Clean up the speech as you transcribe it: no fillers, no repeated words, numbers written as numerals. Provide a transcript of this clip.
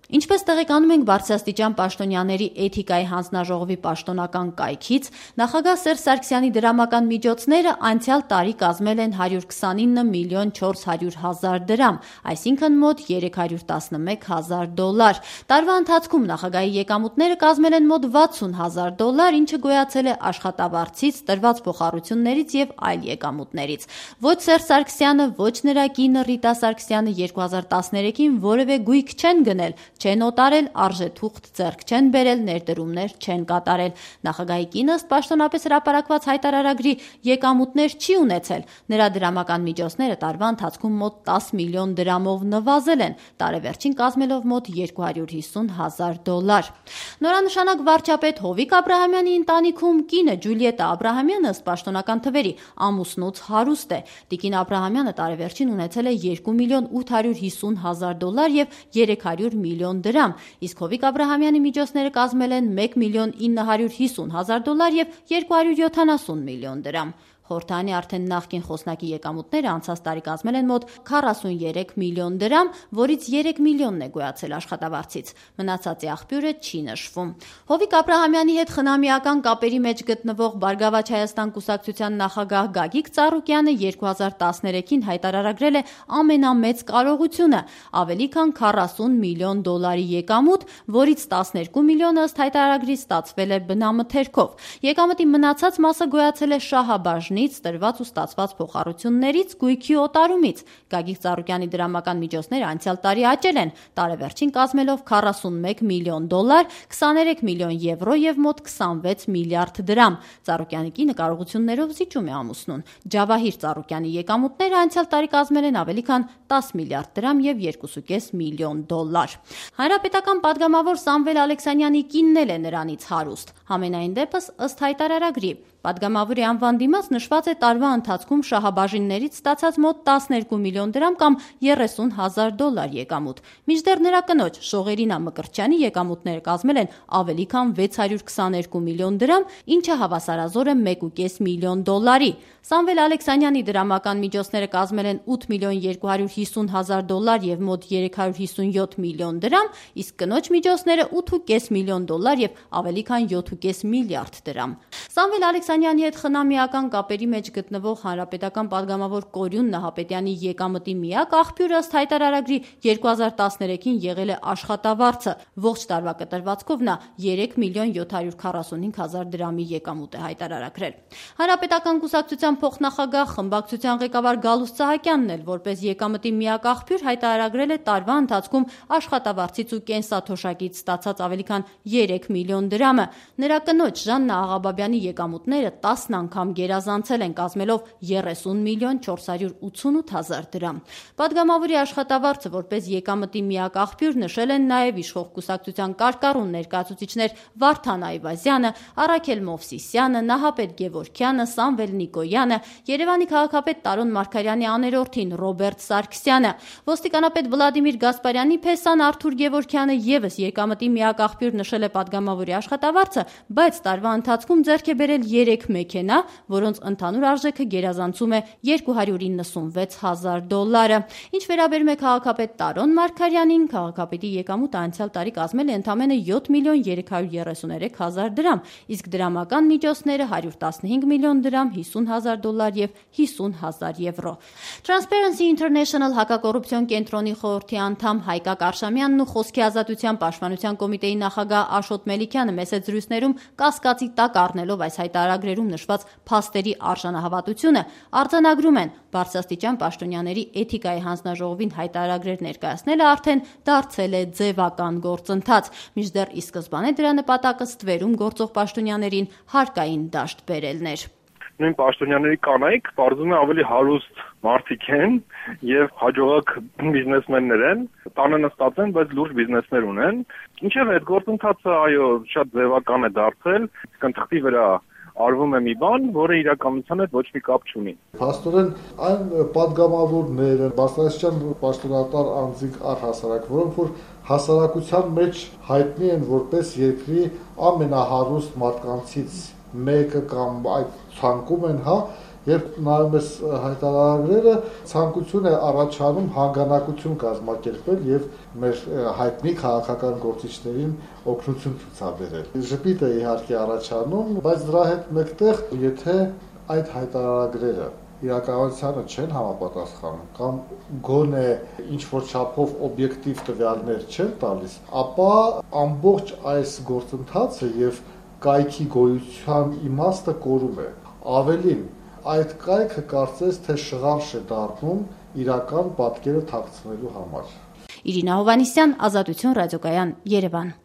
Ինչպես տեղեկանում ենք Բարձրաստիճան պաշտոնյաների էթիկայի հանձնաժողովի պաշտոնական կայքից, նախագահ Սերժ Սարգսյանի դրամական միջոցները անցյալ տարի կազմել են 129 միլիոն 400 հազար դրամ, այսինքն մոտ 311 հազար դոլար։ Տարվա ընթացքում նախագահի եկամուտները կազմել են մոտ 60 հազար դոլար, ինչը գոյացել է աշխատավարձից, տրված փոխառություններից և այլ եկամուտներից։ Ոչ Սերժ Սարգսյանը, ոչ նրա կինը Ռիտա Սարգսյանը 2013-ին որևէ գույք չեն գնել, չեն օտարել, արժեթուղթ ձեռք չեն բերել, ներդրումներ չեն կատարել։ Նախագահի կինը ըստ պաշտոնապես հրապարակված հայտարարագրի եկամուտներ չի ունեցել։ Նրա դրամական միջոցները տարվա ընթացքում մոտ 10 միլիոն դրամով նվազել են, տարեվերջին կազմելով մոտ 250 հազար դոլար։ Նորանշանակ վարչապետ Հովիկ Աբրահամյանի ընտանիքում կինը Ջուլիետա Աբրահամյանը ըստ պաշտոնական թվերի ամուսնուց հարուստ է։ Տիկին Աբրահամյանը տարեվերջին ունեցել է 2 միլիոն 850 հազար դոլար և 300 միլիոն դրամ, իսկ Հովիկ Աբրահամյանի միջոցները կազմել են 1 միլիոն 950 հազար դոլար և 270 միլիոն դրամ։ Խորհրդարանի արդեն նախկին խոսնակի եկամուտները անցած տարի կազմել են մոտ 43 միլիոն դրամ, որից 3 միլիոնն է գոյացել աշխատավարձից։ Մնացածի աղբյուրը չի նշվում։ Հովիկ Աբրահամյանի հետ խնամիական կապերի մեջ գտնվող Բարգավաճ Հայաստան կուսակցության նախագահ Գագիկ Ծառուկյանը 2013-ին հայտարարագրել է ամենամեծ կարողությունը՝ ավելի քան 40 միլիոն դոլարի եկամուտ, որից 12 միլիոնը ըստ հայտարարագրի ստացվել է բնամթերքով։ Եկամտի մնացած մասը գոյացել է շահաբաժնից, տրված ու ստացված փոխառություններից, գույքի օտարումից։ Գագիկ Ծառուկյանի դրամական միջոցները անցյալ տարի աճել են, տարեվերջին կազմելով 41 միլիոն դոլար, 23 միլիոն եվրո և մոտ 26 միլիարդ դրամ։ Ծառուկյանի կինը կարողություններով զիջում է ամուսնուն։ Ջավահիր Ծառուկյանի եկամուտները անցյալ տարի կազմել են ավելի քան 10 միլիարդ դրամ և 2.5 միլիոն դոլար։ Հանրապետական պատգամավոր Սամվել Ալեքսանյանի կինն էլ է նրանից հարուստ։ Համենայն դեպս, ըստ հայտարարագրի, պատգամավորի անվան դիմաց նշված է տարվա ընթացքում շահաբաժիններից ստացած մոտ 12 միլիոն դրամ կամ 30 հազար դոլար եկամուտ։ Մինչդեռ նրա կնոջ Շողերինա Մկրտչյանի եկամուտները կազմել են ավելի քան 622 միլիոն դրամ, ինչը հավասարազոր է 1.5 միլիոն դոլարի։ Սամվել Ալեքսանյանի դրամական միջոցները կազմել են 8 միլիոն 250 հազար դոլար և մոտ 357 միլիոն դրամ, իսկ կնոջ միջոցները 8.5 միլիոն դոլար և ավելի քան 7.5 միլիարդ դրամ։ Սամվել Ալեքսանյանի հետ խնամիական կապերի մեջ գտնվող հանրապետական պատգամավոր Կորյուն Նահապետյանի եկամտի միակ աղբյուրը ըստ հայտարարագրի 2013-ին եղել է աշխատավարձը։ Ողջ տարվա կտրվածքով նա 3 միլիոն 745 հազար դրամի եկամուտ է հայտարարագրել։ Հանրապետական կուսակցության փոխնախագահ խմբակցության ղեկավար Գալուստ Սահակյանն էլ որպես եկամտի միակ աղբյուր հայտարարագրել է տարվա ընթացքում աշխատավարձից ու կենսաթոշակից ստացած ավելի քան 3 միլիոն դրամը։ Նրա կնոջ Ժաննա Աղաբաբյանի եկամուտները 10 անգամ գերազանցել են, կազմելով 30 միլիոն 488 հազար դրամ։ Պատգամավորի աշխատավարձը որպես եկամտի միակ աղբյուր նշել են նաև իշխող կուսակցության կարկառուն ներկայացուցիչներ Վարդան Այվազյանը, Առաքել Մովսիսյանը, Նահապետ Գևորգյանը, Սամվել Նիկոյանը, Երևանի քաղաքապետ Տարոն Մարգարյանի աներորդին Ռոբերտ Սարգսյանը, ոստիկանապետ Վլադիմիր Գասպարյանի փեսան Արթուր Գևորգյանը ևս եկամտի միակ աղբյուր նշել է պատգամավորի աշխատավարձը, բայց տարվա ընթացքում ձեռք է բերել 3 մեքենա, որոնց ընդհանուր արժեքը գերազանցում է 296 հազար դոլարը։ Ինչ վերաբերում է քաղաքապետ Տարոն Մարգարյանին, քաղաքապետի եկամուտը անցյալ տարի կազմել է ընդամենը 7 միլիոն 333 հազար դրամ, իսկ դրամական միջոցները 115 միլիոն դրամ, 50 հազար դոլար և 50 հազար եվրո։ Transparency International հակակոռուպցիոն կենտրոնի խորհրդի անդամ Հայկակ Արշամյանն ու Խոսքի ազատության պաշտպանության կոմիտեի նախագահ Աշոտ Մելիքյանը մեծ զրույցներում կասկածի տակ առնելով այս հայտարարագրերում նշված փաստերի արժանահավատությունը, արձանագրում են Բարձրաստիճան պաշտոնյաների էթիկայի հանձնաժողովին հայտարարագրեր ներկայացնելը արդեն դարձել է ձևական գործընթաց, մինչդեռ ի սկզբանե դրա նպատակը ստվերում գործող պաշտոնյաներին հարկային դաշտ բերելն էր։ Նույն պաշտոնյաների կանայք բարձում է ավելի հարուստ մարդիկ են եւ հաջողակ բիզնեսմեններ են, տանը նստած են, բայց լուրջ բիզնեսներ ունեն։ Ինչեւ այդ գործընթացը այո շատ ձևական է դարձել, իսկ թղթի վրա արվում է մի բան, որը իրականության հետ ոչ մի կապ չունի։ Փաստորեն այն պատգամավորները, բարձրաստիճան պաշտոնատար անձինք առհասարակ, որոնք որ հասարակության մեջ հայտնի են որպես երկրի ամենահարուստ մարդկանցից մեկը կամ այդ ցանկում են, Երբ նայում ես հայտարարագրերը, ցանկություն է առաջանում հանգանակություն կազմակերպել եւ մեր հայտնի քաղաքական գործիչներին օգնություն ցուցաբերել։ Ժպիտ է իհարկե առաջանում, բայց դրա հետ մեկտեղ, եթե այդ հայտարարագրերը իրականությանը չեն համապատասխանում կամ գոնե ինչ-որ չափով օբյեկտիվ տվյալներ չեն տալիս, ապա ամբողջ այս գործընթացը եւ կայքի գոյության իմաստը կորում է։ Ավելին, այդ կայքը կարծես թե շղարշ է դառնում իրական պատկերը թաքցնելու համար։ Իրինա Հովհաննիսյան, Ազատություն ռադիոկայան, Երևան։